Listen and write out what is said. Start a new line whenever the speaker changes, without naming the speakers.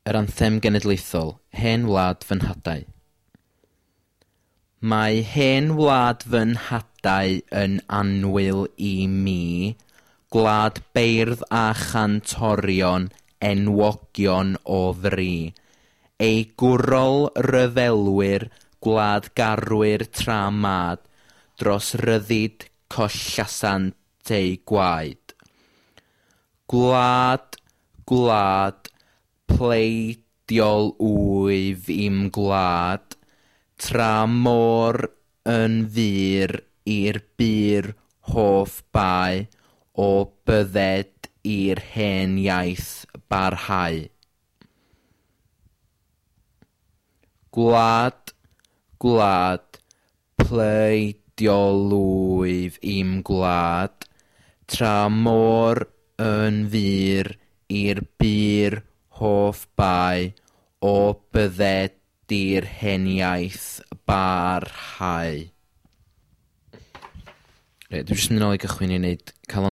Yr anthem genedlaethol, Hen Wlad Fy Nhadau. Mae hen wlad fy nhadau yn annwyl i mi, gwlad beirdd a chantorion enwogion o fri, ei gwrol ryfelwyr, gwladgarwyr tra mad, dros ryddid collasant eu gwaed. Gwlad, gwlad, pleidiol wyf i'm gwlad, tra môr yn fur i'r bur hoff bae, o bydded i'r hen iaith barhau. Gwlad, gwlad, pleidiol wyf i'm gwlad, tra môr yn fur i'r bur hoff bae, o bydded i'r hen iaith barhau. Reit, dwi jyst yn mynd nôl i gychwyn i wneud Calon.